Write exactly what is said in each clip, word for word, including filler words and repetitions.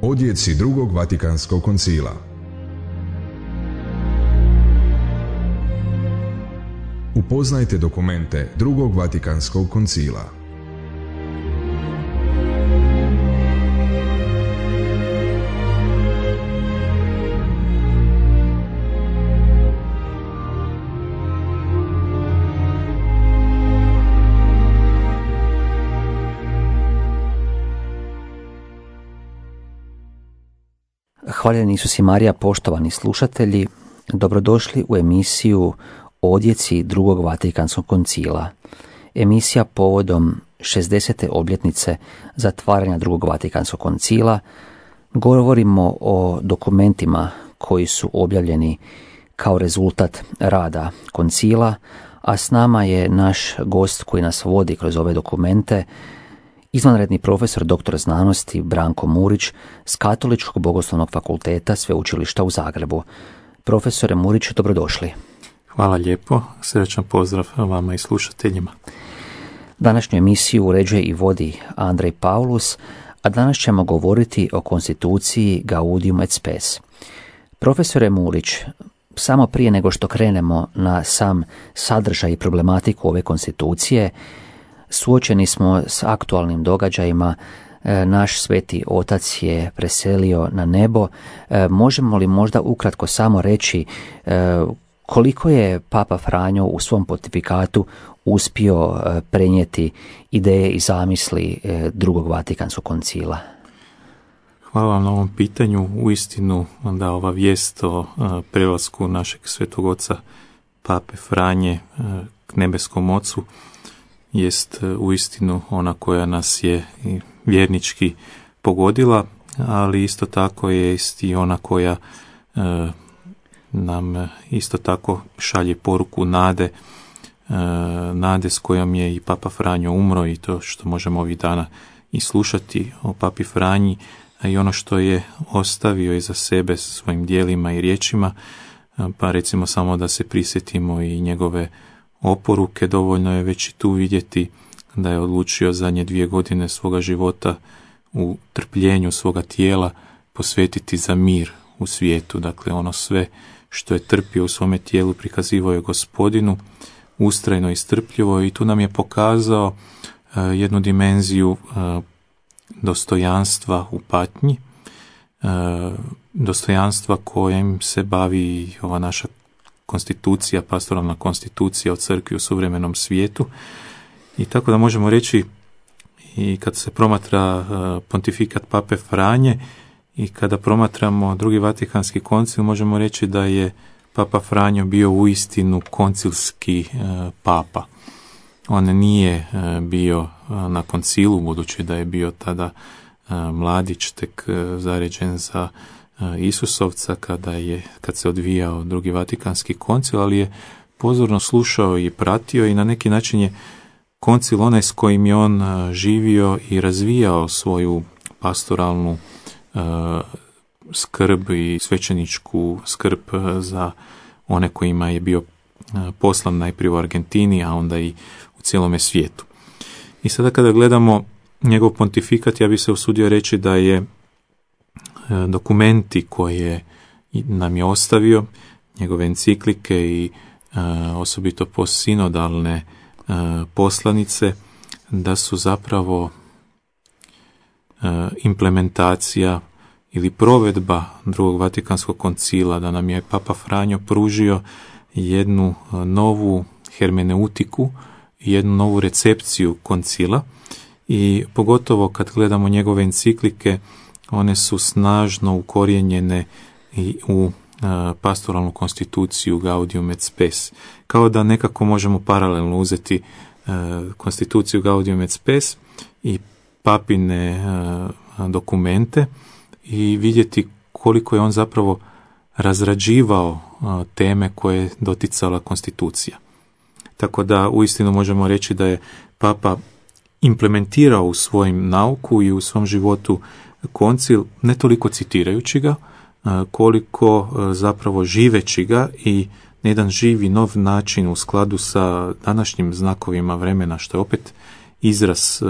Odjeci drugog Vatikanskog koncila. Upoznajte dokumente drugog Vatikanskog koncila. Hvaljeni Isus i Marija, poštovani slušatelji, dobrodošli u emisiju Odjeci drugog Vatikanskog koncila. Emisija povodom šezdesete obljetnice zatvaranja drugog Vatikanskog koncila. Govorimo o dokumentima koji su objavljeni kao rezultat rada koncila, a s nama je naš gost koji nas vodi kroz ove dokumente, izvanredni profesor doktor znanosti Branko Murić s Katoličkog bogoslovnog fakulteta Sveučilišta u Zagrebu. Profesore Murić, dobrodošli. Hvala lijepo, srećan pozdrav vama i slušateljima. Današnju emisiju uređuje i vodi Andrej Paulus, a danas ćemo govoriti o konstituciji Gaudium et Spes. Profesore Murić, samo prije nego što krenemo na sam sadržaj i problematiku ove konstitucije, suočeni smo s aktualnim događajima. Naš sveti otac je preselio na nebo. Možemo li možda ukratko samo reći koliko je Papa Franjo u svom pontifikatu uspio prenijeti ideje i zamisli drugog Vatikanskog koncila? Hvala vam na ovom pitanju. Uistinu da ova vijest o prelasku našeg svetog oca Pape Franje k nebeskom ocu jest uistinu ona koja nas je vjernički pogodila, ali isto tako je i ona koja e, nam isto tako šalje poruku nade, e, nade s kojom je i Papa Franjo umro, i to što možemo ovih dana i slušati o Papi Franji, a i ono što je ostavio iza sebe svojim djelima i riječima. Pa recimo samo da se prisjetimo i njegove oporuke. Dovoljno je već i tu vidjeti da je odlučio zadnje dvije godine svoga života u trpljenju svoga tijela posvetiti za mir u svijetu. Dakle, ono sve što je trpio u svome tijelu prikazivao je Gospodinu, ustrajno i strpljivo, i tu nam je pokazao uh, jednu dimenziju uh, dostojanstva u patnji, uh, dostojanstva kojim se bavi ova naša konstitucija, pastoralna konstitucija o crkvi u suvremenom svijetu. I tako da možemo reći, i kad se promatra uh, pontifikat Pape Franje i kada promatramo drugi Vatikanski koncil, možemo reći da je Papa Franjo bio uistinu koncilski uh, papa. On nije uh, bio uh, na koncilu, budući da je bio tada uh, mladić, tek uh, zaređen za Isusovca kada je, kad se odvijao drugi Vatikanski koncil, ali je pozorno slušao i pratio, i na neki način je koncil onaj s kojim je on živio i razvijao svoju pastoralnu uh, skrb i svećeničku skrb za one kojima je bio uh, poslan najprije u Argentini, a onda i u cijelome svijetu. I sada kada gledamo njegov pontifikat, ja bi se usudio reći da je dokumenti koje nam je ostavio, njegove enciklike i e, osobito postsinodalne e, poslanice, da su zapravo e, implementacija ili provedba drugog Vatikanskog koncila, da nam je Papa Franjo pružio jednu novu hermeneutiku, jednu novu recepciju koncila, i pogotovo kad gledamo njegove enciklike, one su snažno ukorijenjene i u uh, pastoralnu konstituciju Gaudium et Spes. Kao da nekako možemo paralelno uzeti uh, konstituciju Gaudium et Spes i papine uh, dokumente i vidjeti koliko je on zapravo razrađivao uh, teme koje je doticala konstitucija. Tako da uistinu možemo reći da je Papa implementirao u svojim nauku i u svom životu koncil, ne toliko citirajući ga, koliko zapravo živeći ga i na jedan živi nov način u skladu sa današnjim znakovima vremena, što je opet izraz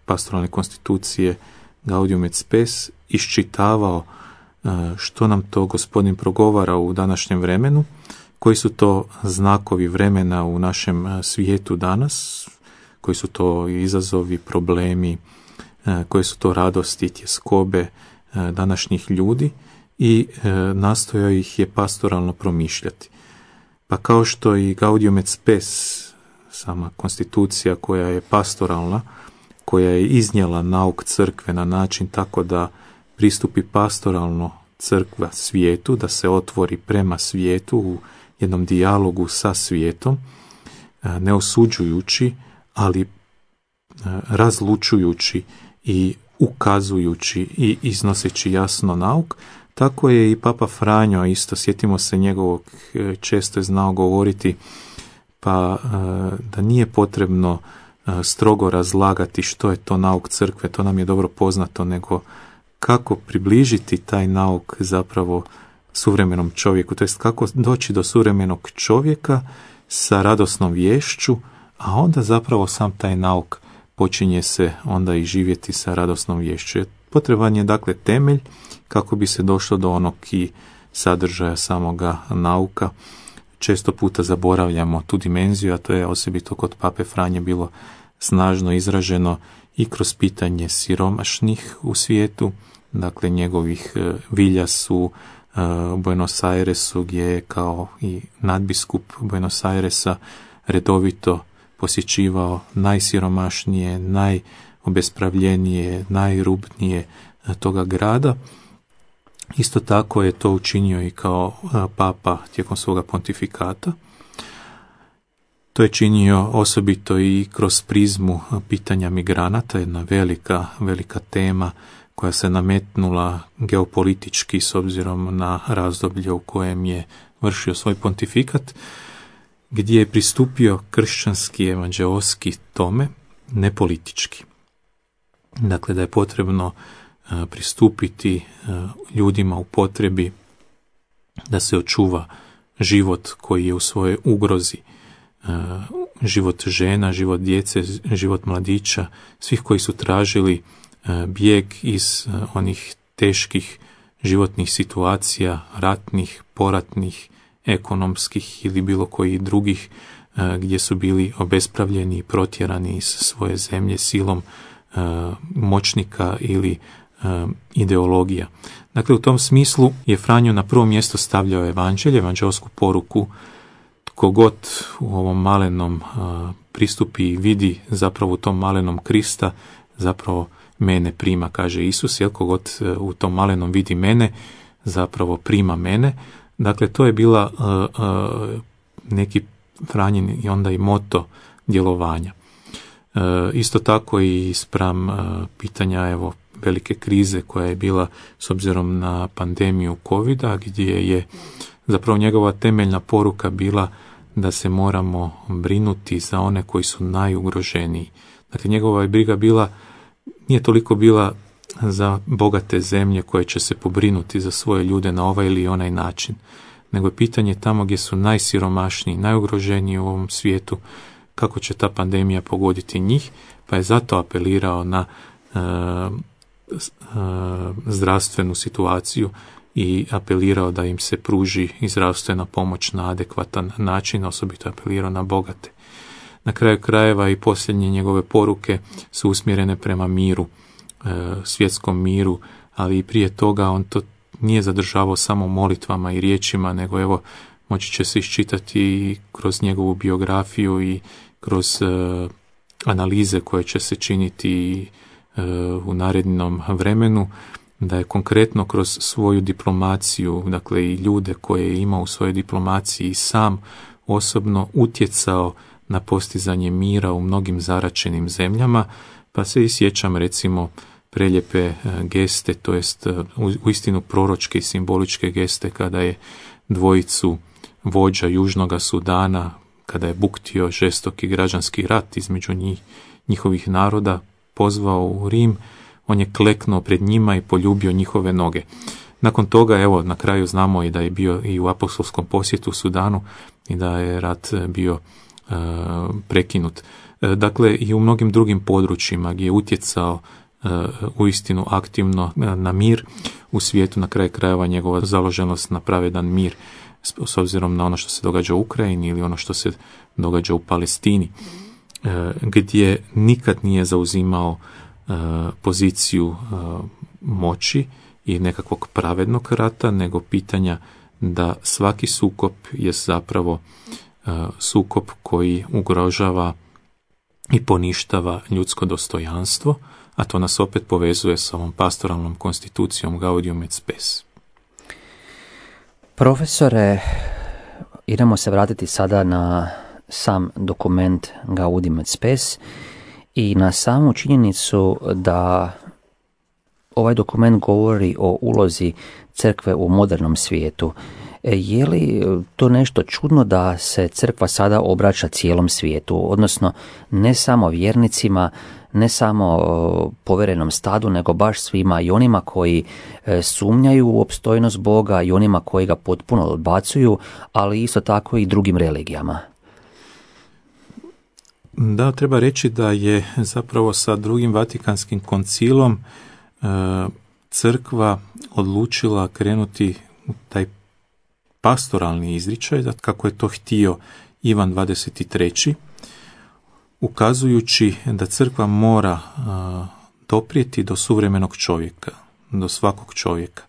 pastoralne konstitucije Gaudium et Spes iščitavao što nam to Gospodin progovara u današnjem vremenu, koji su to znakovi vremena u našem svijetu danas, koji su to izazovi, problemi, koje su to radosti, tjeskobe današnjih ljudi i nastojao ih je pastoralno promišljati. Pa kao što i Gaudium et Spes, sama konstitucija koja je pastoralna, koja je iznijela nauk crkve na način tako da pristupi pastoralno crkva svijetu, da se otvori prema svijetu u jednom dijalogu sa svijetom, ne osuđujući, ali razlučujući i ukazujući i iznoseći jasno nauk. Tako je i Papa Franjo isto, sjetimo se njegovog, često je znao govoriti, pa da nije potrebno strogo razlagati što je to nauk crkve, to nam je dobro poznato, nego kako približiti taj nauk zapravo suvremenom čovjeku, to jest kako doći do suvremenog čovjeka sa radosnom vješću, a onda zapravo sam taj nauk počinje se onda i živjeti sa radosnom vješću. Potreban je dakle temelj kako bi se došlo do onog i sadržaja samoga nauka. Često puta zaboravljamo tu dimenziju, a to je osobito kod Pape Franje bilo snažno izraženo i kroz pitanje siromašnih u svijetu, dakle njegovih vilja su u Buenos Airesu, gdje je kao i nadbiskup Buenos Airesa redovito posjećivao najsiromašnije, najobespravljenije, najrubnije toga grada. Isto tako je to učinio i kao papa tijekom svoga pontifikata. To je činio osobito i kroz prizmu pitanja migranata, jedna velika, velika tema koja se nametnula geopolitički s obzirom na razdoblje u kojem je vršio svoj pontifikat, gdje je pristupio kršćanski evanđeoski tome, ne politički. Dakle, da je potrebno pristupiti ljudima u potrebi da se očuva život koji je u svojoj ugrozi, život žena, život djece, život mladića, svih koji su tražili bijeg iz onih teških životnih situacija, ratnih, poratnih, ekonomskih ili bilo kojih drugih, gdje su bili obespravljeni i protjerani iz svoje zemlje silom moćnika ili ideologija. Dakle, u tom smislu je Franjo na prvo mjesto stavljao evanđelje, evanđelsku poruku. Tko god u ovom malenom pristupi i vidi zapravo u tom malenom Krista, zapravo mene prima, kaže Isus, jel, kogod u tom malenom vidi mene, zapravo prima mene. Dakle, to je bila uh, uh, neki Franjin i onda i moto djelovanja. Uh, isto tako i spram uh, pitanja evo velike krize koja je bila s obzirom na pandemiju covida, gdje je zapravo njegova temeljna poruka bila da se moramo brinuti za one koji su najugroženiji. Dakle, njegova je briga bila, nije toliko bila za bogate zemlje koje će se pobrinuti za svoje ljude na ovaj ili onaj način, nego je pitanje tamo gdje su najsiromašniji, najugroženiji u ovom svijetu, kako će ta pandemija pogoditi njih, pa je zato apelirao na e, e, zdravstvenu situaciju i apelirao da im se pruži i zdravstvena pomoć na adekvatan način, osobito apelirao na bogate. Na kraju krajeva i posljednje njegove poruke su usmjerene prema miru, svjetskom miru, ali i prije toga on to nije zadržavao samo molitvama i riječima, nego evo moći će se iščitati i kroz njegovu biografiju i kroz uh, analize koje će se činiti uh, u narednom vremenu, da je konkretno kroz svoju diplomaciju, dakle i ljude koje je imao u svojoj diplomaciji, sam osobno utjecao na postizanje mira u mnogim zaračenim zemljama, pa se i sjećam recimo prelijepe geste, to jest uistinu proročke i simboličke geste kada je dvojicu vođa Južnoga Sudana, kada je buktio žestoki građanski rat između njih, njihovih naroda, pozvao u Rim, on je kleknuo pred njima i poljubio njihove noge. Nakon toga, evo, na kraju znamo i da je bio i u apostolskom posjetu u Sudanu i da je rat bio uh, prekinut. Dakle, i u mnogim drugim područjima gdje je utjecao uistinu aktivno na mir u svijetu, na kraju krajeva njegova založenost na pravedan mir s obzirom na ono što se događa u Ukrajini ili ono što se događa u Palestini, gdje nikad nije zauzimao poziciju moći i nekakvog pravednog rata, nego pitanja da svaki sukob je zapravo sukob koji ugrožava i poništava ljudsko dostojanstvo, a to nas opet povezuje s ovom pastoralnom konstitucijom Gaudium et Spes. Profesore, idemo se vratiti sada na sam dokument Gaudium et Spes i na samu činjenicu da ovaj dokument govori o ulozi crkve u modernom svijetu. Je li to nešto čudno da se crkva sada obraća cijelom svijetu, odnosno ne samo vjernicima, ne samo povjerenom stadu, nego baš svima, i onima koji sumnjaju u opstojnost Boga i onima koji ga potpuno odbacuju, ali isto tako i drugim religijama? Da, treba reći da je zapravo sa drugim Vatikanskim koncilom crkva odlučila krenuti u taj pastoralni izričaj, kako je to htio Ivan dvadeset treći, ukazujući da crkva mora doprijeti do suvremenog čovjeka, do svakog čovjeka.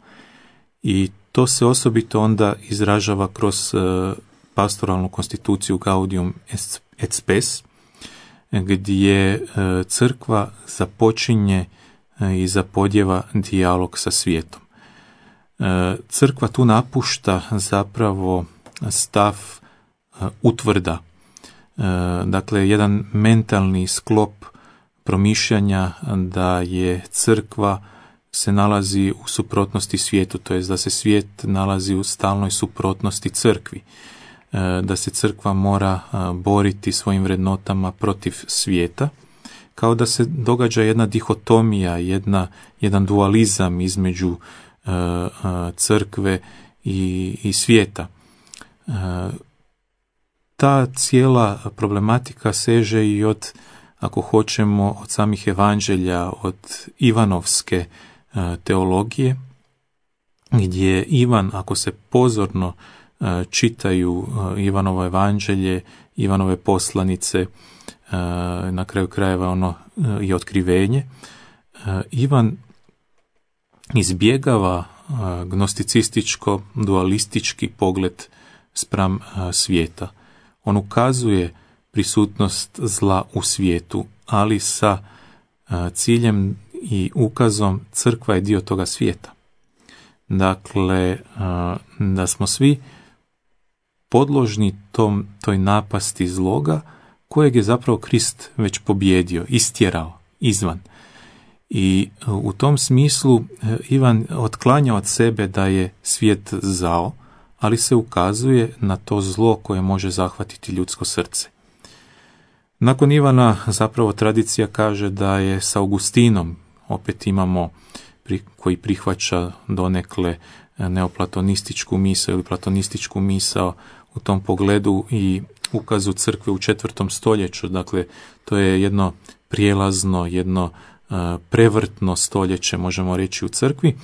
I to se osobito onda izražava kroz pastoralnu konstituciju Gaudium et Spes, gdje crkva započinje i zapodjeva dijalog sa svijetom. Crkva tu napušta zapravo stav utvrda, dakle jedan mentalni sklop promišljanja da je crkva se nalazi u suprotnosti svijetu, to jest da se svijet nalazi u stalnoj suprotnosti crkvi, da se crkva mora boriti svojim vrednotama protiv svijeta, kao da se događa jedna dihotomija, jedna, jedan dualizam između crkve i, i svijeta. Ta cijela problematika seže i od, ako hoćemo, od samih evanđelja, od Ivanovske teologije, gdje Ivan, ako se pozorno čitaju Ivanovo evanđelje, Ivanove poslanice, na kraju krajeva ono i otkrivenje, Ivan izbjegava gnosticističko, dualistički pogled spram svijeta. On ukazuje prisutnost zla u svijetu, ali sa ciljem i ukazom crkva je dio toga svijeta. Dakle, da smo svi podložni tom, toj napasti zloga kojeg je zapravo Krist već pobjedio, istjerao izvan. I u tom smislu Ivan otklanja od sebe da je svijet zao, ali se ukazuje na to zlo koje može zahvatiti ljudsko srce. Nakon Ivana zapravo tradicija kaže da je s Augustinom, opet imamo koji prihvaća donekle neoplatonističku misao ili platonističku misao u tom pogledu i ukazu crkve u četvrtom stoljeću. Dakle, to je jedno prijelazno, jedno prevrtno stoljeće, možemo reći, u crkvi,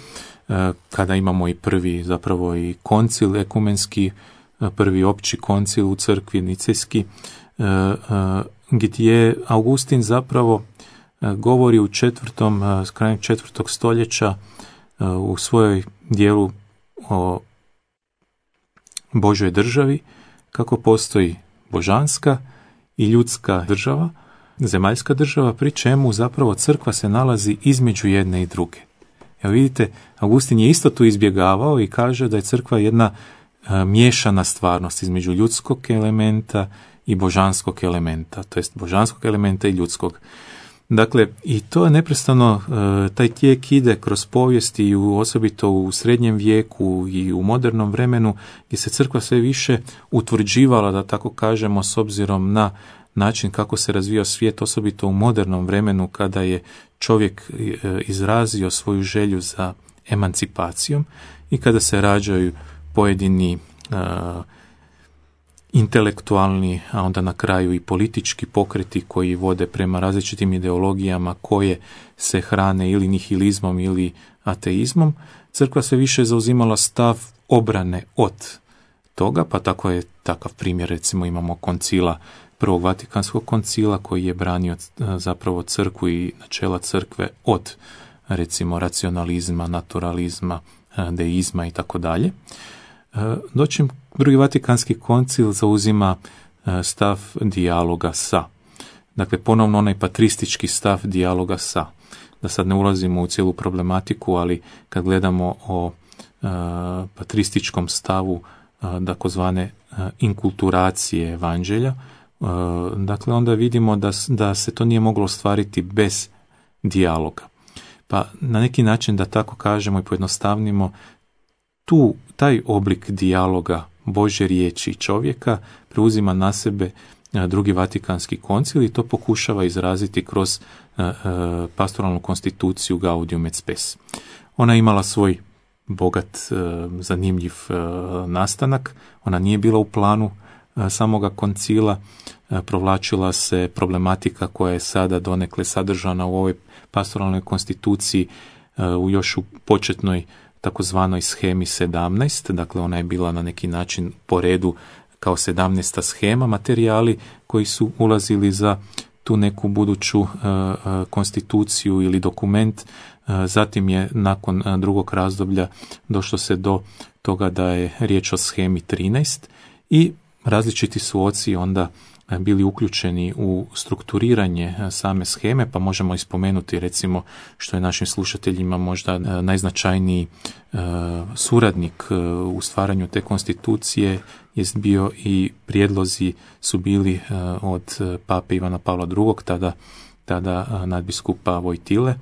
kada imamo i prvi zapravo i koncil ekumenski, prvi opći koncil u crkvi nicejski, gdje Augustin zapravo govori u četvrtom, krajem četvrtog stoljeća u svojoj dijelu o Božoj državi, kako postoji božanska i ljudska država, zemaljska država, pri čemu zapravo crkva se nalazi između jedne i druge. Evo vidite, Augustin je isto tu izbjegavao i kaže da je crkva jedna a, miješana stvarnost između ljudskog elementa i božanskog elementa, to jest božanskog elementa i ljudskog. Dakle, i to je neprestano, a, taj tijek ide kroz povijest i u, osobito u srednjem vijeku i u modernom vremenu, gdje se crkva sve više utvrđivala, da tako kažemo, s obzirom na način kako se razvijao svijet, osobito u modernom vremenu kada je čovjek izrazio svoju želju za emancipacijom i kada se rađaju pojedini uh, intelektualni, a onda na kraju i politički pokreti koji vode prema različitim ideologijama koje se hrane ili nihilizmom ili ateizmom, crkva se više zauzimala stav obrane od toga, pa tako je takav primjer, recimo imamo koncila, prvog Vatikanskog koncila koji je branio zapravo crkvu i načela crkve od recimo racionalizma, naturalizma, deizma i tako dalje. Dočim drugi Vatikanski koncil zauzima stav dijaloga sa. Dakle, ponovno onaj patristički stav dijaloga sa. Da sad ne ulazimo u cijelu problematiku, ali kad gledamo o patrističkom stavu takozvane inkulturacije evanđelja, dakle onda vidimo da, da se to nije moglo ostvariti bez dijaloga. Pa na neki način, da tako kažemo i pojednostavnimo, tu taj oblik dijaloga Božje riječi i čovjeka preuzima na sebe drugi Vatikanski koncil i to pokušava izraziti kroz pastoralnu konstituciju Gaudium et Spes. Ona je imala svoj bogat, zanimljiv nastanak, ona nije bila u planu samoga koncila, provlačila se problematika koja je sada donekle sadržana u ovoj pastoralnoj konstituciji u još u početnoj takozvanoj shemi sedamnaest, dakle ona je bila na neki način po redu kao sedamnaesta shema, materijali koji su ulazili za tu neku buduću uh, konstituciju ili dokument. Uh, zatim je nakon uh, drugog razdoblja došlo se do toga da je riječ o shemi trinaest i različiti su oci onda bili uključeni u strukturiranje same sheme, pa možemo ispomenuti recimo što je našim slušateljima možda najznačajniji suradnik u stvaranju te konstitucije jest bio i prijedlozi su bili od pape Ivana Pavla drugog, tada, tada nadbiskupa Vojtile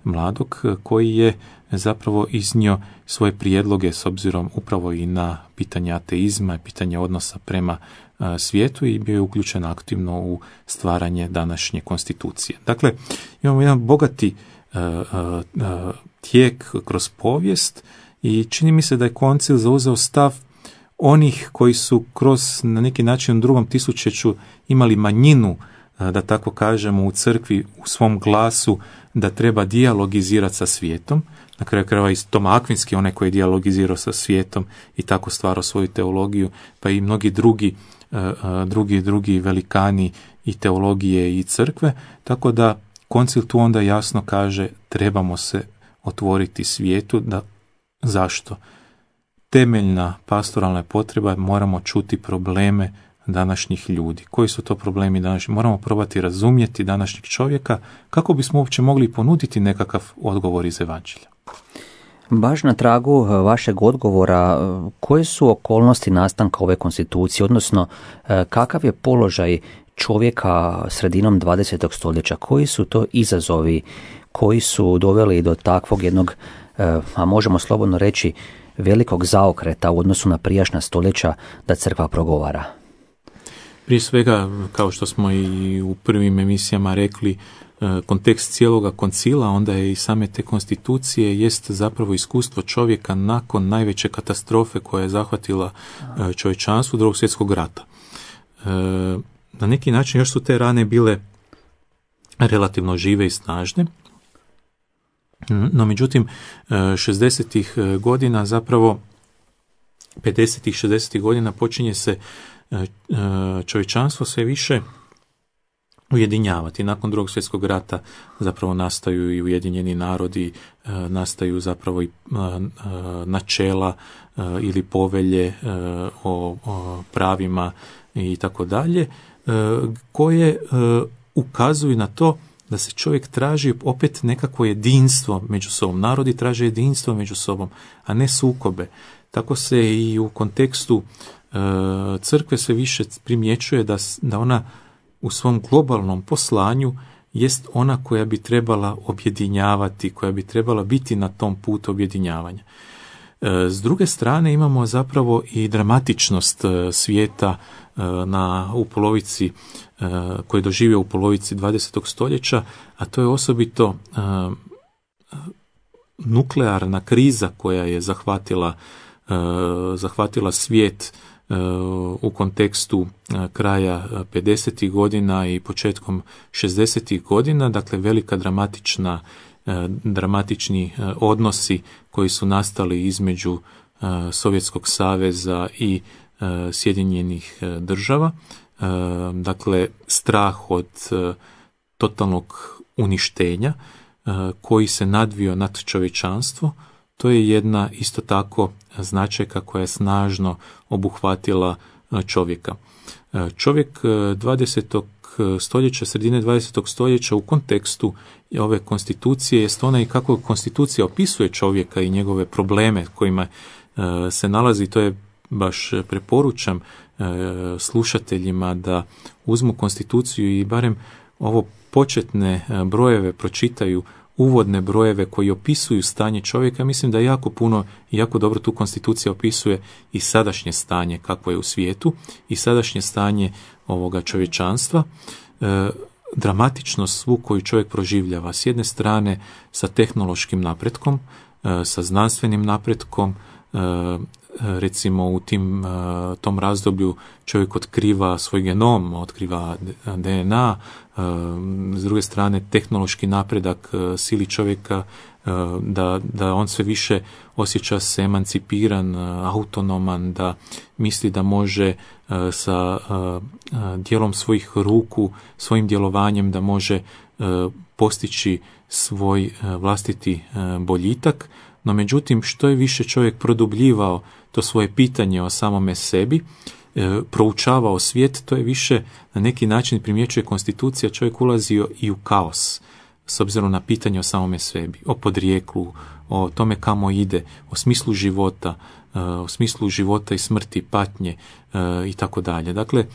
mladog, koji je zapravo iznio svoje prijedloge s obzirom upravo i na pitanje ateizma i pitanje odnosa prema svijetu i bio je uključen aktivno u stvaranje današnje konstitucije. Dakle, imamo jedan bogati uh, uh, tijek kroz povijest i čini mi se da je koncil zauzeo stav onih koji su kroz na neki način u drugom tisućeću imali manjinu, uh, da tako kažemo, u crkvi u svom glasu da treba dijalogizirati sa svijetom. Na kraju krajeva i Toma Akvinski, onaj koji je dijalogizirao sa svijetom i tako stvarao svoju teologiju, pa i mnogi drugi drugi drugi velikani i teologije i crkve, tako da koncil tu onda jasno kaže trebamo se otvoriti svijetu. Da, zašto? Temeljna pastoralna potreba, moramo čuti probleme današnjih ljudi. Koji su to problemi današnjih? Moramo probati razumjeti današnjeg čovjeka kako bismo uopće mogli ponuditi nekakav odgovor iz evanđelja. Baš na tragu vašeg odgovora, koje su okolnosti nastanka ove konstitucije, odnosno kakav je položaj čovjeka sredinom dvadesetog stoljeća, koji su to izazovi koji su doveli do takvog jednog, a možemo slobodno reći, velikog zaokreta u odnosu na prijašnja stoljeća da crkva progovara? Prije svega, kao što smo i u prvim emisijama rekli, kontekst cijeloga koncila, onda je i same te konstitucije, jest zapravo iskustvo čovjeka nakon najveće katastrofe koja je zahvatila čovječanstvo, drugog svjetskog rata. Na neki način još su te rane bile relativno žive i snažne, no međutim šezdesetih godina, zapravo pedesetih, šezdesetih godina počinje se čovječanstvo sve više ujedinjavati. Nakon drugog svjetskog rata zapravo nastaju i Ujedinjeni narodi, nastaju zapravo i načela ili povelje o pravima i tako dalje, koje ukazuju na to da se čovjek traži opet nekakvo jedinstvo među sobom. Narodi traže jedinstvo među sobom, a ne sukobe. Tako se i u kontekstu crkve se više primjećuje da, da ona u svom globalnom poslanju jest ona koja bi trebala objedinjavati, koja bi trebala biti na tom putu objedinjavanja. S druge strane imamo zapravo i dramatičnost svijeta na, u polovici, koji je doživio u polovici dvadesetog stoljeća, a to je osobito nuklearna kriza koja je zahvatila, zahvatila svijet u kontekstu kraja pedesetih godina i početkom šezdesetih godina, dakle velika dramatična, dramatični odnosi koji su nastali između Sovjetskog saveza i Sjedinjenih država, dakle strah od totalnog uništenja koji se nadvio nad čovječanstvo. To je jedna isto tako značajka koja je snažno obuhvatila čovjeka. Čovjek dvadesetog stoljeća, sredine dvadesetog stoljeća u kontekstu ove konstitucije jest onaj kako konstitucija opisuje čovjeka i njegove probleme kojima se nalazi. To je baš preporučam slušateljima da uzmu konstituciju i barem ovo početne brojeve pročitaju, uvodne brojeve koji opisuju stanje čovjeka. Mislim da jako puno i jako dobro tu konstitucija opisuje i sadašnje stanje kakvo je u svijetu i sadašnje stanje ovoga čovječanstva, e, dramatičnost svu koju čovjek proživljava. S jedne strane sa tehnološkim napretkom, e, sa znanstvenim napretkom, e, recimo u tim, tom razdoblju čovjek otkriva svoj genom, otkriva de en a, s druge strane tehnološki napredak sili čovjeka da, da on sve više osjeća se emancipiran, autonoman, da misli da može sa dijelom svojih ruku, svojim djelovanjem da može postići svoj vlastiti boljitak. No međutim, što je više čovjek produbljivao to svoje pitanje o samome sebi, e, proučavao svijet, to je više na neki način primjećuje konstitucija, čovjek ulazio i u kaos s obzirom na pitanje o samome sebi, o podrijeklu, o tome kamo ide, o smislu života, e, o smislu života i smrti, patnje e, i tako dalje. Dakle, e,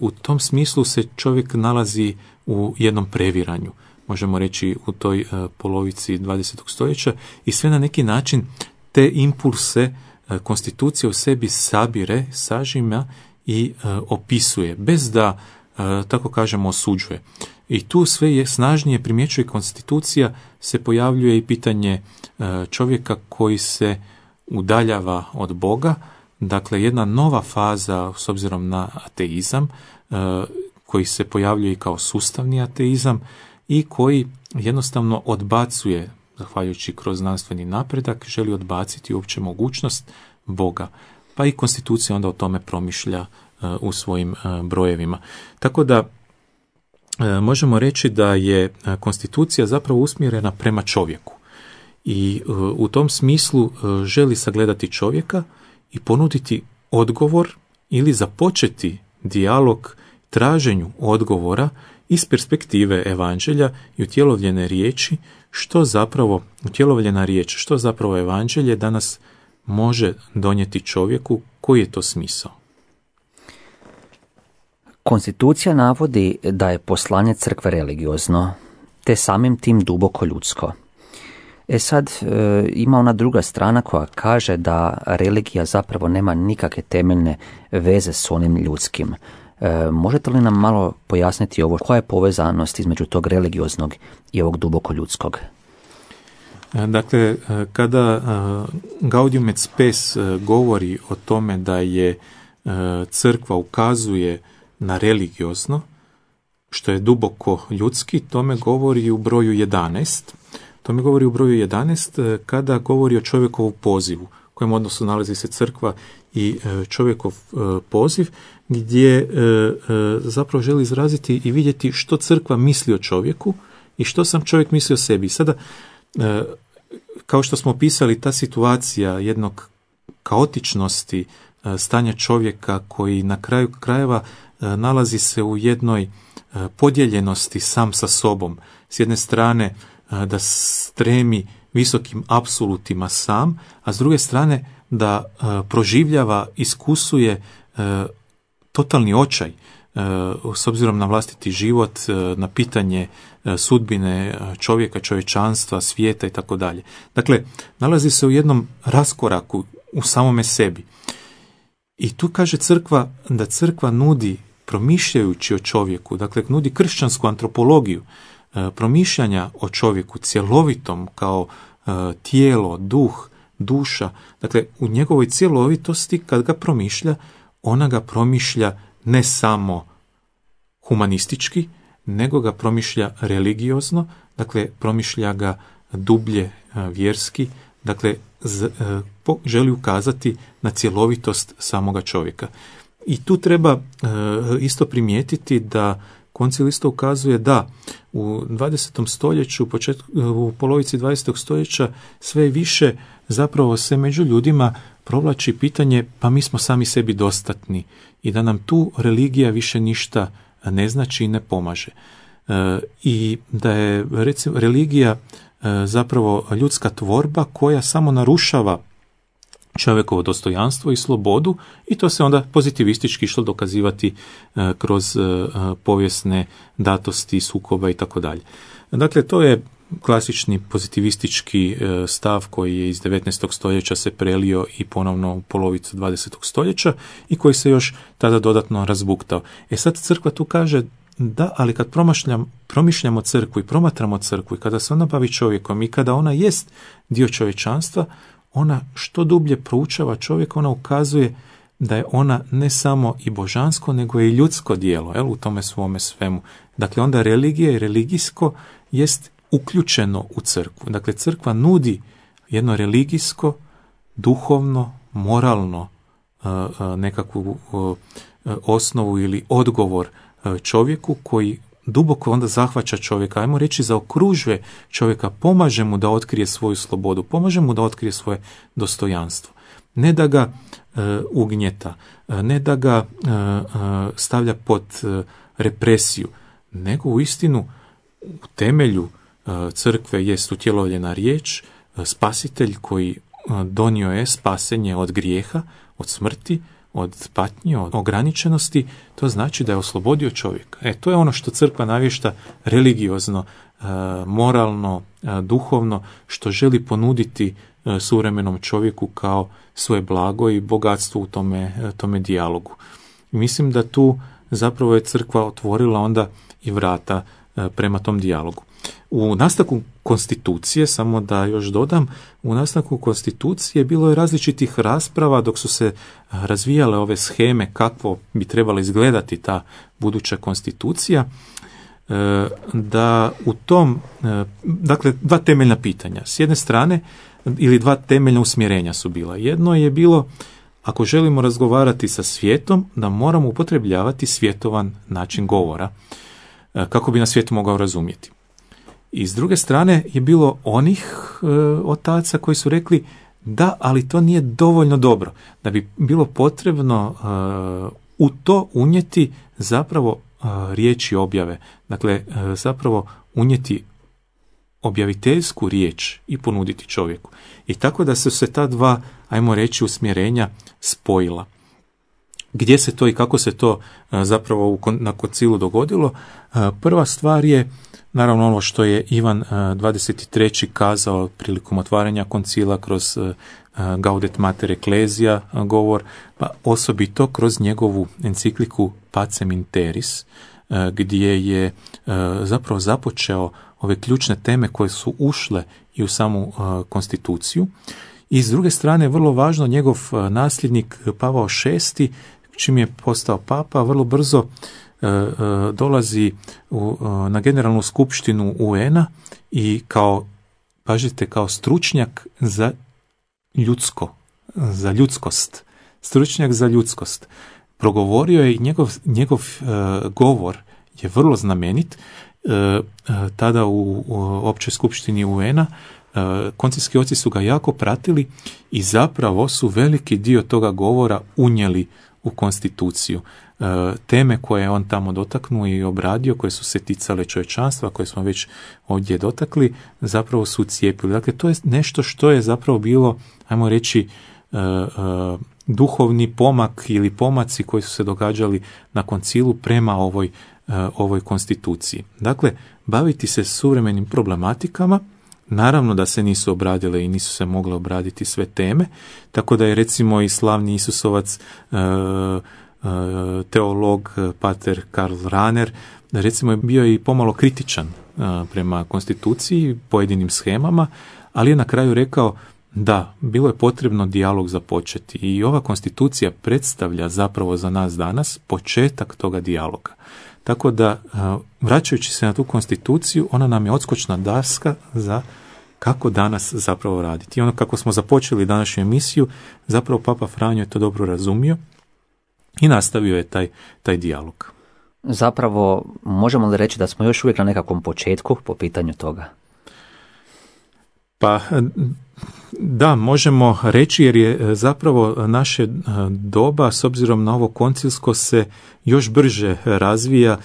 u tom smislu se čovjek nalazi u jednom previranju, možemo reći u toj uh, polovici dvadesetog stoljeća i sve na neki način te impulse uh, konstitucija u sebi sabire, sažima i uh, opisuje, bez da, uh, tako kažemo, osuđuje. I tu sve je snažnije primjećuje konstitucija, se pojavljuje i pitanje uh, čovjeka koji se udaljava od Boga, dakle jedna nova faza s obzirom na ateizam, uh, koji se pojavljuje i kao sustavni ateizam, i koji jednostavno odbacuje, zahvaljujući kroz znanstveni napredak, želi odbaciti uopće mogućnost Boga. Pa i konstitucija onda o tome promišlja uh, u svojim uh, brojevima. Tako da uh, možemo reći da je uh, konstitucija zapravo usmjerena prema čovjeku. I uh, u tom smislu uh, želi sagledati čovjeka i ponuditi odgovor ili započeti dijalog traženju odgovora iz perspektive evanđelja i utjelovljene riječi, što zapravo, utjelovljena riječ, što zapravo evanđelje danas može donijeti čovjeku, koji je to smisao. Konstitucija navodi da je poslanje crkve religiozno, te samim tim duboko ljudsko. E sad, e, ima ona druga strana koja kaže da religija zapravo nema nikakve temeljne veze s onim ljudskim. E, možete li nam malo pojasniti ovo, koja je povezanost između tog religioznog i ovog duboko ljudskog? Dakle, kada Gaudium et Spes govori o tome da je crkva ukazuje na religiozno, što je duboko ljudski, tome govori u broju jedanaest. Tome govori u broju jedanaest kada govori o čovjekovu pozivu, u kojem odnosu nalazi se crkva i čovjekov poziv, gdje zapravo želi izraziti i vidjeti što crkva misli o čovjeku i što sam čovjek misli o sebi. Sada, kao što smo opisali, ta situacija jednog kaotičnosti stanja čovjeka koji na kraju krajeva nalazi se u jednoj podijeljenosti sam sa sobom. S jedne strane da stremi visokim apsolutima sam, a s druge strane da proživljava, iskusuje totalni očaj s obzirom na vlastiti život, na pitanje sudbine čovjeka, čovječanstva, svijeta i tako dalje. Dakle, nalazi se u jednom raskoraku u samome sebi. I tu kaže crkva da crkva nudi, promišljajući o čovjeku, dakle nudi kršćansku antropologiju, promišljanja o čovjeku cjelovitom kao tijelo, duh, duša. Dakle, u njegovoj cjelovitosti kad ga promišlja, ona ga promišlja ne samo humanistički, nego ga promišlja religiozno, dakle promišlja ga dublje vjerski, dakle z, po, želi ukazati na cjelovitost samoga čovjeka. I tu treba e, isto primijetiti da koncil isto ukazuje da u dvadesetom stoljeću, početku, u polovici dvadesetog stoljeća sve više zapravo se među ljudima provlači pitanje pa mi smo sami sebi dostatni i da nam tu religija više ništa ne znači i ne pomaže. E, I da je recimo religija e, zapravo ljudska tvorba koja samo narušava čovjekovo dostojanstvo i slobodu i to se onda pozitivistički išlo dokazivati e, kroz e, povijesne datosti, sukoba i tako dalje. Dakle, to je klasični pozitivistički e, stav koji je iz devetnaestog stoljeća se prelio i ponovno u polovicu dvadesetog stoljeća i koji se još tada dodatno razbuktao. E sad crkva tu kaže da, ali kad promišljam, promišljamo crkvu i promatramo crkvu i kada se ona bavi čovjekom i kada ona jest dio čovječanstva, ona što dublje proučava čovjeka, ona ukazuje da je ona ne samo i božansko, nego i ljudsko djelo, jel, u tome svome svemu. Dakle, onda religija i religijsko jest uključeno u crkvu. Dakle, crkva nudi jedno religijsko, duhovno, moralno nekakvu osnovu ili odgovor čovjeku koji duboko onda zahvaća čovjeka, ajmo reći zaokružuje čovjeka, pomaže mu da otkrije svoju slobodu, pomaže mu da otkrije svoje dostojanstvo. Ne da ga e, ugnjeta, ne da ga e, stavlja pod e, represiju, nego u istinu u temelju e, crkve jest utjelovljena riječ, e, spasitelj koji e, donio je spasenje od grijeha, od smrti, od patnje, od ograničenosti, to znači da je oslobodio čovjeka. E, to je ono što crkva navješta religiozno, e, moralno, e, duhovno, što želi ponuditi e, suvremenom čovjeku kao svoje blago i bogatstvo u tome, e, tome dijalogu. I mislim da tu zapravo je crkva otvorila onda i vrata e, prema tom dijalogu. U nastavku konstitucije, samo da još dodam, u nastavku konstitucije bilo je različitih rasprava dok su se razvijale ove sheme kako bi trebala izgledati ta buduća konstitucija, da u tom, dakle, dva temeljna pitanja. S jedne strane, ili dva temeljna usmjerenja su bila. Jedno je bilo, ako želimo razgovarati sa svijetom, da moramo upotrebljavati svjetovan način govora, kako bi nas svijet mogao razumjeti. I s druge strane je bilo onih e, otaca koji su rekli da, ali to nije dovoljno dobro, da bi bilo potrebno e, u to unijeti zapravo e, riječi objave, dakle e, zapravo unijeti objaviteljsku riječ i ponuditi čovjeku. I tako da su se ta dva, ajmo reći, usmjerenja spojila. Gdje se to i kako se to e, zapravo u, na koncilu dogodilo? E, prva stvar je naravno ono što je Ivan dvadeset treći kazao prilikom otvaranja koncila kroz Gaudet Mater Ecclesia govor, pa osobito kroz njegovu encikliku Pacem in Terris, gdje je zapravo započeo ove ključne teme koje su ušle i u samu konstituciju. I s druge strane, vrlo važno, njegov nasljednik Pavao šesti, čim je postao papa, vrlo brzo dolazi u, na generalnu skupštinu U N-a i kao, pažite, kao stručnjak za ljudsko, za ljudskost, stručnjak za ljudskost. Progovorio je i njegov, njegov uh, govor je vrlo znamenit. Uh, uh, tada u, u općoj skupštini U N-a uh, koncilski oci su ga jako pratili i zapravo su veliki dio toga govora unijeli u konstituciju. Teme koje je on tamo dotaknuo i obradio, koje su se ticale čovječanstva, koje smo već ovdje dotakli, zapravo su cijepili. Dakle, to je nešto što je zapravo bilo, ajmo reći, duhovni pomak ili pomaci koji su se događali na koncilu prema ovoj, ovoj konstituciji. Dakle, baviti se suvremenim problematikama, naravno da se nisu obradile i nisu se mogle obraditi sve teme, tako da je recimo i slavni Isusovac teolog pater Karl Rahner recimo je bio i pomalo kritičan prema konstituciji, pojedinim shemama, ali je na kraju rekao da, bilo je potrebno dijalog započeti i ova konstitucija predstavlja zapravo za nas danas početak toga dijaloga. Tako da, vraćajući se na tu konstituciju, ona nam je odskočna daska za kako danas zapravo raditi. I ono kako smo započeli današnju emisiju, zapravo Papa Franjo je to dobro razumio i nastavio je taj, taj dijalog. Zapravo, možemo li reći da smo još uvijek na nekakvom početku po pitanju toga? Pa da, možemo reći, jer je zapravo naše doba, s obzirom na ovo koncilsko, se još brže razvija,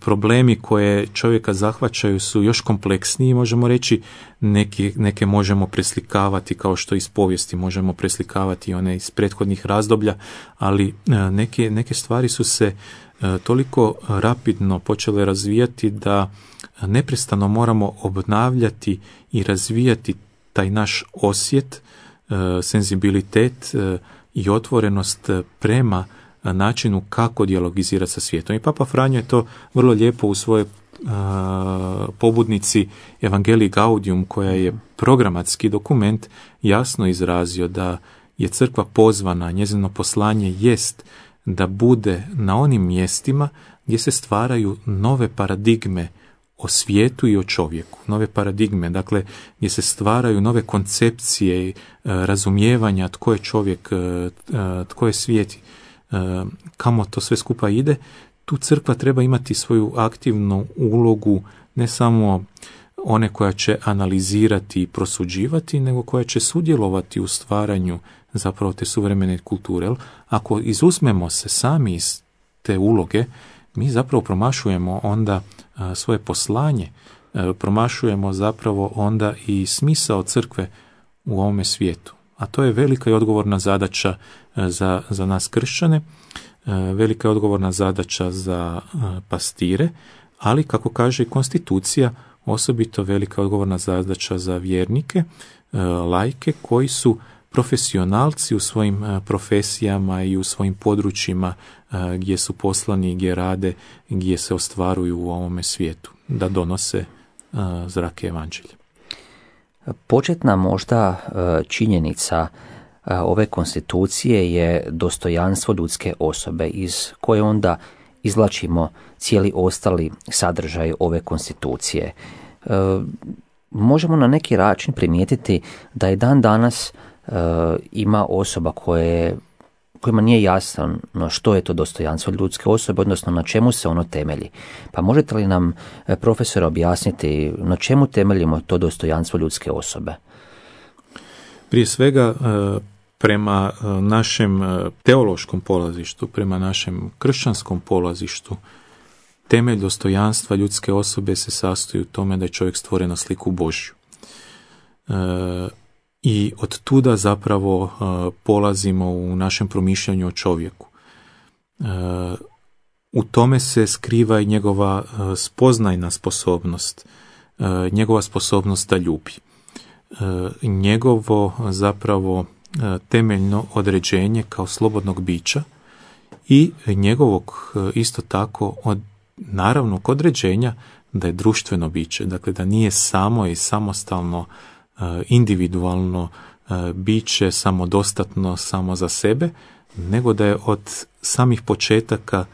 problemi koje čovjeka zahvaćaju su još kompleksniji, možemo reći, neke, neke možemo preslikavati kao što iz povijesti možemo preslikavati one iz prethodnih razdoblja, ali neke, neke stvari su se toliko rapidno počele razvijati da neprestano moramo obnavljati i razvijati taj naš osjet, senzibilitet i otvorenost prema načinu kako dijalogizirati sa svijetom. I Papa Franjo je to vrlo lijepo u svojoj pobudnici Evangelii Gaudium, koja je programatski dokument, jasno izrazio da je crkva pozvana, njezino poslanje jest da bude na onim mjestima gdje se stvaraju nove paradigme o svijetu i o čovjeku, nove paradigme, dakle gdje se stvaraju nove koncepcije, razumijevanja tko je čovjek, tko je svijet, kamo to sve skupa ide. Tu crkva treba imati svoju aktivnu ulogu, ne samo one koja će analizirati i prosuđivati, nego koja će sudjelovati u stvaranju zapravo te suvremene kulture. Ako izuzmemo se sami iz te uloge, mi zapravo promašujemo onda svoje poslanje, promašujemo zapravo onda i smisao crkve u ovome svijetu. A to je velika i odgovorna zadaća za, za nas kršćane, velika i odgovorna zadaća za pastire, ali kako kaže i konstitucija, osobito velika i odgovorna zadaća za vjernike, laike koji su profesionalci u svojim profesijama i u svojim područjima gdje su poslani, gdje rade, gdje se ostvaruju u ovome svijetu, da donose zrake evanđelja. Početna možda činjenica ove konstitucije je dostojanstvo ljudske osobe, iz koje onda izvlačimo cijeli ostali sadržaj ove konstitucije. Možemo na neki način primijetiti da je dan danas ima osoba koje, kojima nije jasno što je to dostojanstvo ljudske osobe, odnosno na čemu se ono temelji. Pa možete li nam, profesor, objasniti na čemu temeljimo to dostojanstvo ljudske osobe? Prije svega, prema našem teološkom polazištu, prema našem kršćanskom polazištu, temelj dostojanstva ljudske osobe se sastoji u tome da je čovjek stvoren na sliku Božju. I od tuda zapravo uh, polazimo u našem promišljanju o čovjeku. Uh, u tome se skriva i njegova uh, spoznajna sposobnost, uh, njegova sposobnost da ljubi. Uh, njegovo zapravo uh, temeljno određenje kao slobodnog bića i njegovog uh, isto tako od naravnog određenja da je društveno biće, dakle da nije samo i samostalno individualno biće, samodostatno samo za sebe, nego da je od samih početaka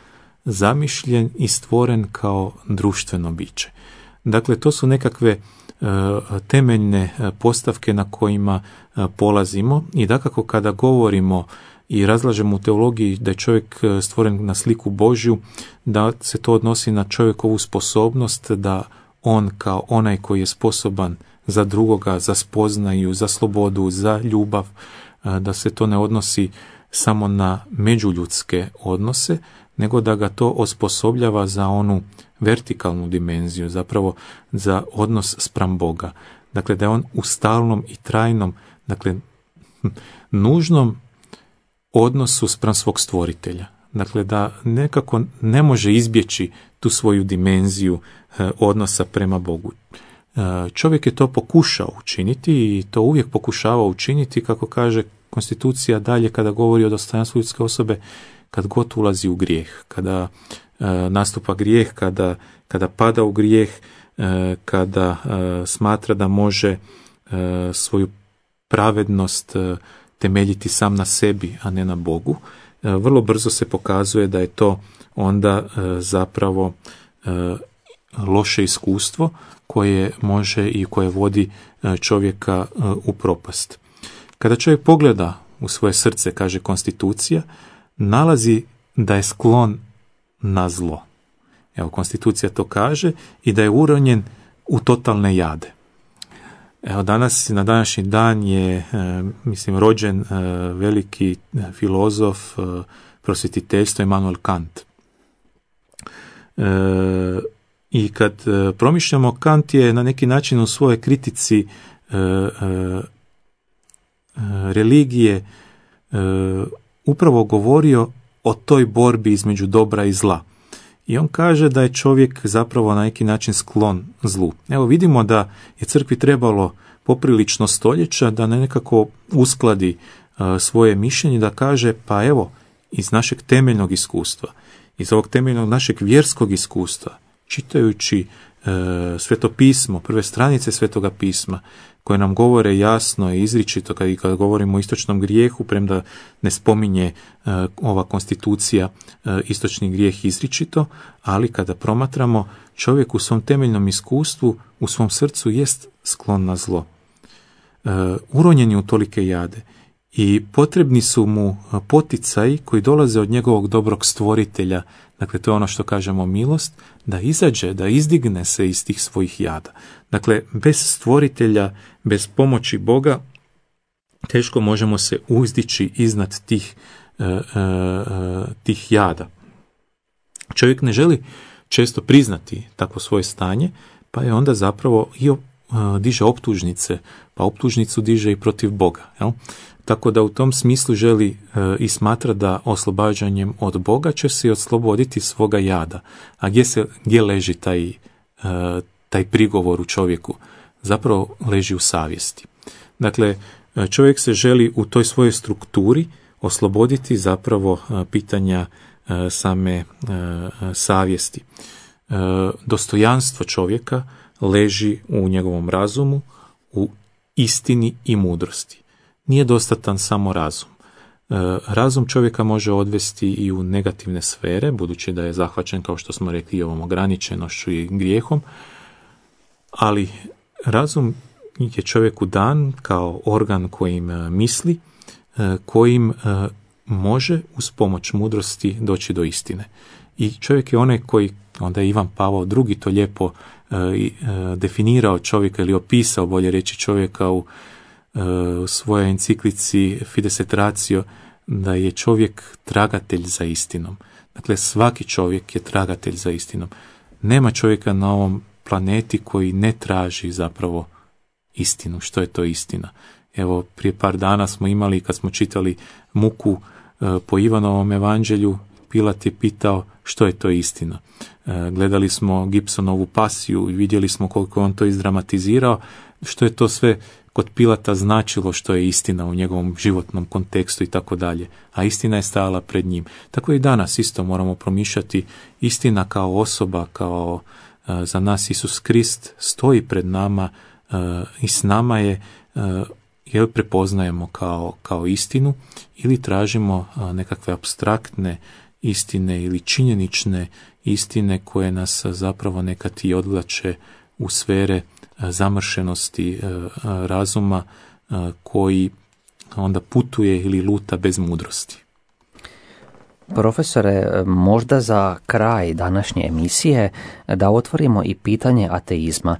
zamišljen i stvoren kao društveno biće. Dakle, to su nekakve temeljne postavke na kojima polazimo i dakako kada govorimo i razlažemo u teologiji da je čovjek stvoren na sliku Božju, da se to odnosi na čovjekovu sposobnost da on kao onaj koji je sposoban za drugoga, za spoznaju, za slobodu, za ljubav, da se to ne odnosi samo na međuljudske odnose, nego da ga to osposobljava za onu vertikalnu dimenziju, zapravo za odnos spram Boga. Dakle, da je on u stalnom i trajnom, dakle, nužnom odnosu spram svog stvoritelja. Dakle, da nekako ne može izbjeći tu svoju dimenziju odnosa prema Bogu. Čovjek je to pokušao učiniti i to uvijek pokušava učiniti, kako kaže konstitucija dalje kada govori o dostojanstvu ljudske osobe, kad god ulazi u grijeh, kada e, nastupa grijeh, kada, kada pada u grijeh, e, kada e, smatra da može e, svoju pravednost temeljiti sam na sebi, a ne na Bogu, vrlo brzo se pokazuje da je to onda zapravo loše iskustvo koje može i koje vodi čovjeka u propast. Kada čovjek pogleda u svoje srce, kaže konstitucija, nalazi da je sklon na zlo. Evo, konstitucija to kaže, i da je uronjen u totalne jade. Evo, danas, na današnji dan je, mislim, rođen veliki filozof prosvjetiteljstva Immanuel Kant. I kad promišljamo, Kant je na neki način u svojoj kritici religije upravo govorio o toj borbi između dobra i zla. I on kaže da je čovjek zapravo na neki način sklon zlu. Evo, vidimo da je crkvi trebalo poprilično stoljeća da nekako uskladi uh, svoje mišljenje, da kaže, pa evo, iz našeg temeljnog iskustva, iz ovog temeljnog našeg vjerskog iskustva, čitajući uh, Sveto pismo, prve stranice Svetoga pisma, koje nam govore jasno i izričito, kad, i kad govorimo o istočnom grijehu, premda ne spominje uh, ova konstitucija uh, istočni grijeh izričito, ali kada promatramo, čovjek u svom temeljnom iskustvu, u svom srcu jest sklon na zlo. Uh, uronjen je u tolike jade i potrebni su mu poticaji koji dolaze od njegovog dobrog stvoritelja, dakle to je ono što kažemo milost, da izađe, da izdigne se iz tih svojih jada. Dakle, bez stvoritelja, bez pomoći Boga, teško možemo se uzdići iznad tih, uh, uh, tih jada. Čovjek ne želi često priznati takvo svoje stanje, pa je onda zapravo i uh, diže optužnice, pa optužnicu diže i protiv Boga. Jel? Tako da u tom smislu želi uh, i smatra da oslobađanjem od Boga će se i osloboditi svoga jada. A gdje, se, gdje leži taj, uh, taj prigovor u čovjeku? Zapravo leži u savjesti. Dakle, čovjek se želi u toj svojoj strukturi osloboditi zapravo uh, pitanja uh, same uh, savjesti. Uh, dostojanstvo čovjeka leži u njegovom razumu, u istini i mudrosti. Nije dostatan samo razum. Razum čovjeka može odvesti i u negativne sfere, budući da je zahvaćen, kao što smo rekli, ovom ograničenošću i grijehom, ali razum je čovjeku dan kao organ kojim misli, kojim može uz pomoć mudrosti doći do istine. I čovjek je onaj koji, onda je Ivan Pavao drugi to lijepo definirao čovjeka ili opisao, bolje reći, čovjeka u u svojoj enciklici Fides et Ratio, da je čovjek tragatelj za istinom. Dakle, svaki čovjek je tragatelj za istinom. Nema čovjeka na ovom planeti koji ne traži zapravo istinu. Što je to istina? Evo, prije par dana smo imali, kad smo čitali muku po Ivanovom evanđelju, Pilat je pitao što je to istina. Gledali smo Gibsonovu pasiju i vidjeli smo koliko on to izdramatizirao, što je to sve kod Pilata značilo što je istina u njegovom životnom kontekstu i tako dalje, a istina je stajala pred njim. Tako i danas isto moramo promišljati, istina kao osoba, kao uh, za nas Isus Krist stoji pred nama uh, i s nama je, uh, jer prepoznajemo kao, kao istinu ili tražimo uh, nekakve apstraktne istine ili činjenične istine koje nas zapravo nekad i odvlače u sfere zamršenosti razuma koji onda putuje ili luta bez mudrosti. Profesore, možda za kraj današnje emisije da otvorimo i pitanje ateizma.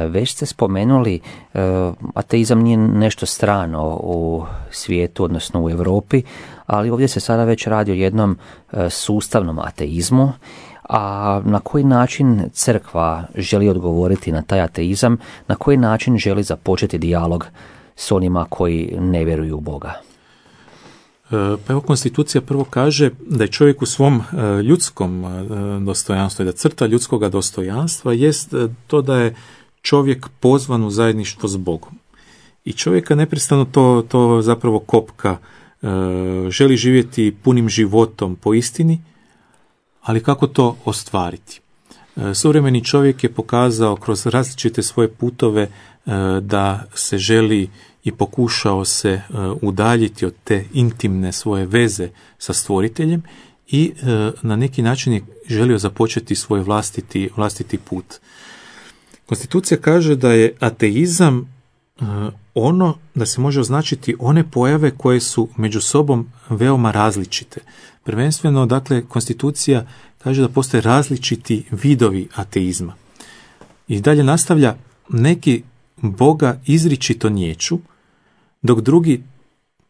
Već ste spomenuli, ateizam nije nešto strano u svijetu, odnosno u Europi, ali ovdje se sada već radi o jednom sustavnom ateizmu. A na koji način crkva želi odgovoriti na taj ateizam, na koji način želi započeti dijalog s onima koji ne vjeruju u Boga? Pa evo, konstitucija prvo kaže da je čovjek u svom ljudskom dostojanstvu i da crta ljudskoga dostojanstva jest to da je čovjek pozvan u zajedništvo s Bogom. I čovjeka neprestano to, to zapravo kopka, želi živjeti punim životom po istini, ali kako to ostvariti? Suvremeni čovjek je pokazao kroz različite svoje putove da se želi i pokušao se udaljiti od te intimne svoje veze sa stvoriteljem i na neki način je želio započeti svoj vlastiti, vlastiti put. Konstitucija kaže da je ateizam ono, da se može označiti one pojave koje su među sobom veoma različite. Prvenstveno, dakle, konstitucija kaže da postoje različiti vidovi ateizma. I dalje nastavlja, neki Boga izričito niječu, dok drugi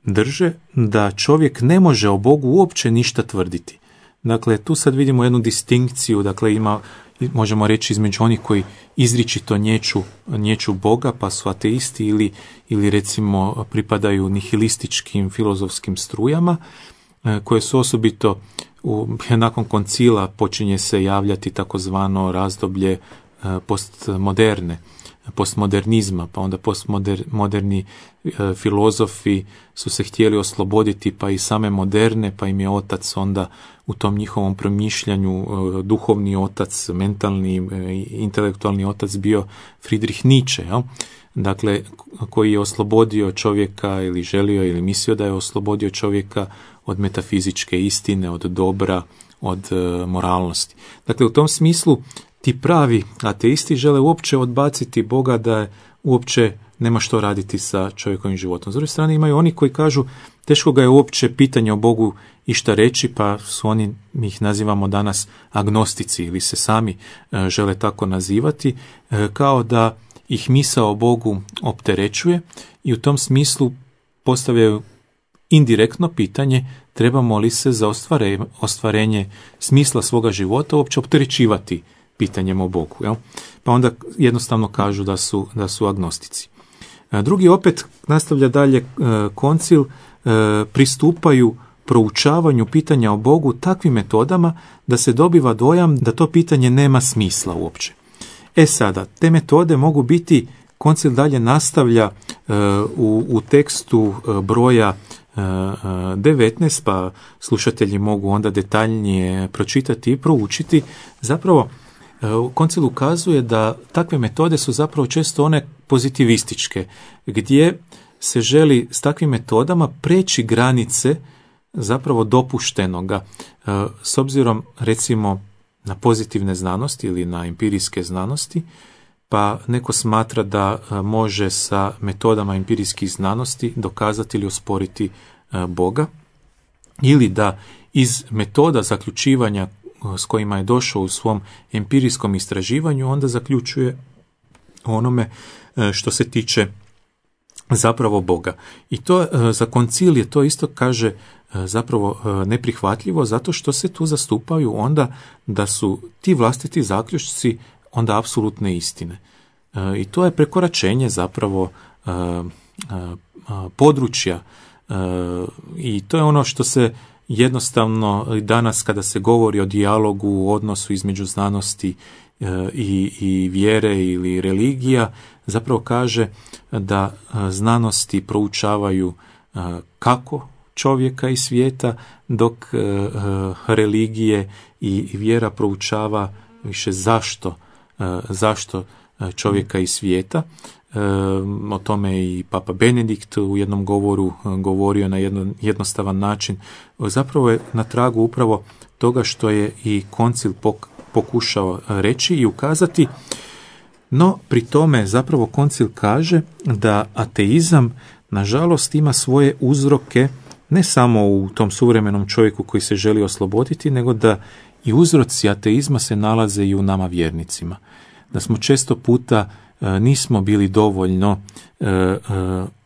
drže da čovjek ne može o Bogu uopće ništa tvrditi. Dakle, tu sad vidimo jednu distinkciju, dakle, ima, možemo reći, između onih koji izričito nječu, nječu Boga, pa su ateisti, ili, ili recimo pripadaju nihilističkim filozofskim strujama, koje su osobito u, nakon koncila počinje se javljati takozvano razdoblje postmoderne, postmodernizma, pa onda postmoderni e, filozofi su se htjeli osloboditi, pa i same moderne, pa im je otac onda u tom njihovom promišljanju, e, duhovni otac, mentalni, e, intelektualni otac bio Friedrich Nietzsche, jel? Dakle, koji je oslobodio čovjeka ili želio ili mislio da je oslobodio čovjeka od metafizičke istine, od dobra, od e, moralnosti. Dakle, u tom smislu ti pravi ateisti žele uopće odbaciti Boga, da je uopće nema što raditi sa čovjekovim životom. S druge strane imaju oni koji kažu teško ga je uopće pitanje o Bogu išta reći, pa su oni, mi ih nazivamo danas agnostici ili se sami e, žele tako nazivati, e, kao da ih misao o Bogu opterećuje i u tom smislu postavljaju indirektno pitanje trebamo li se za ostvarenje, ostvarenje smisla svoga života uopće opterećivati pitanjem o Bogu. Jel? Pa onda jednostavno kažu da su, da su agnostici. Drugi opet nastavlja dalje koncil, pristupaju proučavanju pitanja o Bogu takvim metodama da se dobiva dojam da to pitanje nema smisla uopće. E sada, te metode mogu biti, koncil dalje nastavlja u, u tekstu broja devetnaest, pa slušatelji mogu onda detaljnije pročitati i proučiti. Zapravo, koncil ukazuje da takve metode su zapravo često one pozitivističke, gdje se želi s takvim metodama preći granice zapravo dopuštenoga. S obzirom recimo na pozitivne znanosti ili na empirijske znanosti, pa neko smatra da može sa metodama empirijskih znanosti dokazati ili osporiti Boga, ili da iz metoda zaključivanja s kojima je došao u svom empirijskom istraživanju onda zaključuje onome što se tiče zapravo Boga. I to za koncil je to isto, kaže, zapravo neprihvatljivo, zato što se tu zastupaju onda da su ti vlastiti zaključci onda apsolutne istine. I to je prekoračenje zapravo područja i to je ono što se jednostavno danas kada se govori o dijalogu, u odnosu između znanosti i, i vjere ili religija, zapravo kaže da znanosti proučavaju kako čovjeka i svijeta, dok religije i vjera proučava više zašto, zašto čovjeka i svijeta. O tome i Papa Benedikt u jednom govoru govorio na jedno, jednostavan način. Zapravo je na tragu upravo toga što je i koncil pokušao reći i ukazati, no pri tome zapravo koncil kaže da ateizam nažalost ima svoje uzroke ne samo u tom suvremenom čovjeku koji se želi osloboditi, nego da i uzroci ateizma se nalaze i u nama vjernicima. Da smo često puta nismo bili dovoljno e, e,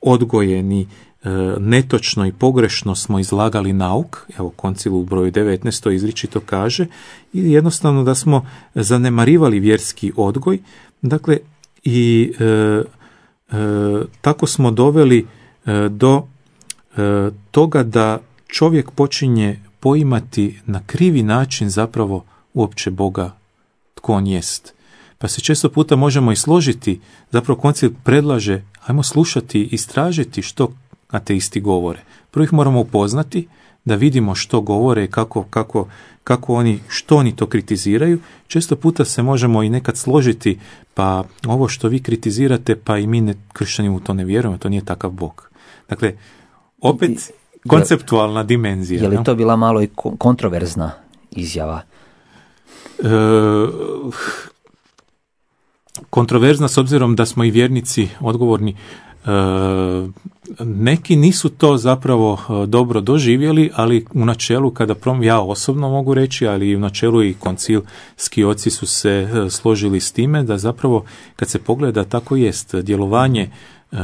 odgojeni, e, netočno i pogrešno smo izlagali nauk, evo koncil u broju devetnaest to izričito kaže, ili jednostavno da smo zanemarivali vjerski odgoj, dakle i e, e, tako smo doveli e, do e, toga da čovjek počinje poimati na krivi način zapravo uopće Boga, tko on jest. Pa se često puta možemo i složiti, zapravo koncil predlaže, ajmo slušati i istražiti što ateisti govore. Prvo ih moramo upoznati, da vidimo što govore, kako, kako, kako oni, što oni to kritiziraju. Često puta se možemo i nekad složiti, pa ovo što vi kritizirate, pa i mi ne, kršćani u to ne vjerujemo, to nije takav Bog. Dakle, opet konceptualna dimenzija. Je li to bila malo i kontroverzna izjava? E, kontroverzna s obzirom da smo i vjernici odgovorni. E, neki nisu to zapravo dobro doživjeli, ali u načelu, kada prom, ja osobno mogu reći, ali i u načelu i koncilski oci su se složili s time da zapravo kad se pogleda tako jest, djelovanje e,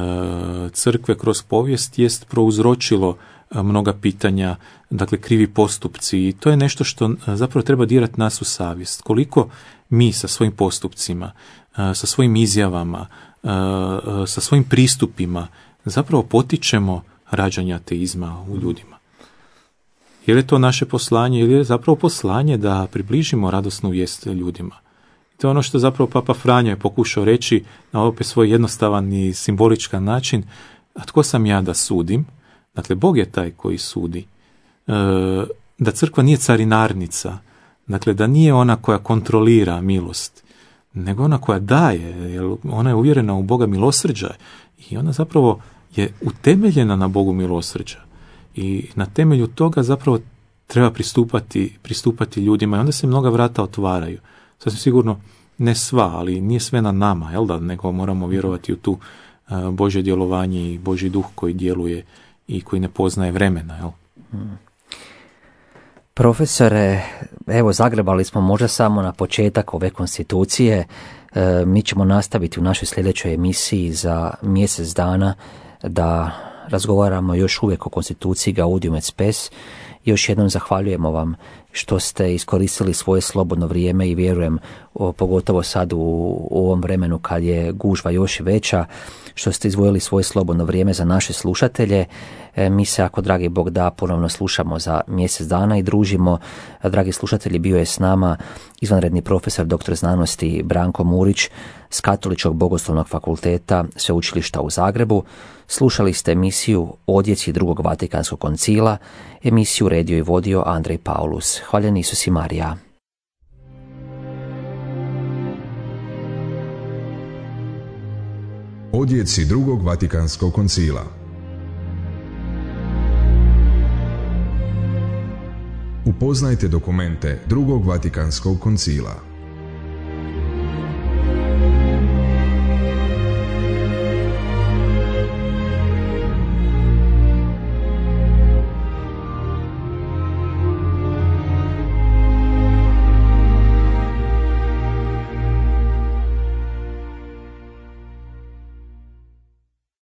crkve kroz povijest jest prouzročilo mnoga pitanja, dakle krivi postupci, i to je nešto što zapravo treba dirati nas u savjest. Koliko mi sa svojim postupcima, sa svojim izjavama, sa svojim pristupima zapravo potičemo rađanje ateizma u ljudima. Je li to naše poslanje ili je zapravo poslanje da približimo radosnu vijest ljudima? To je ono što zapravo Papa Franjo je pokušao reći na opet svoj jednostavan i simboličan način. A tko sam ja da sudim? Dakle, Bog je taj koji sudi. E, da crkva nije carinarnica, dakle da nije ona koja kontrolira milost, nego ona koja daje, jer ona je uvjerena u Boga milosrđa i ona zapravo je utemeljena na Bogu milosrđa. I na temelju toga zapravo treba pristupati, pristupati ljudima i onda se mnoga vrata otvaraju. Sasvim sigurno ne sva, ali nije sve na nama, jel da, nego moramo vjerovati u tu uh, Božje djelovanje i Božji duh koji djeluje i koji ne poznaje vremena, jel? Hmm. Profesore, evo zagrebali smo možda samo na početak ove konstitucije. E, mi ćemo nastaviti u našoj sljedećoj emisiji za mjesec dana da razgovaramo još uvijek o konstituciji Gaudium et Spes. Još jednom zahvaljujemo vam što ste iskoristili svoje slobodno vrijeme i vjerujem, o, pogotovo sad u, u ovom vremenu kad je gužva još veća, što ste izdvojili svoje slobodno vrijeme za naše slušatelje. E, mi se, ako dragi Bog da, ponovno slušamo za mjesec dana i družimo. Dragi slušatelji, bio je s nama izvanredni profesor doktor znanosti Branko Murić s Katoličkog bogoslovnog fakulteta Sveučilišta u Zagrebu. Slušali ste emisiju Odjeci drugog Vatikanskog koncila. Emisiju redio i vodio Andrej Paulus. Hvaljen Isus i Marija. Odjeci drugog Vatikanskog koncila. Upoznajte dokumente drugog Vatikanskog koncila.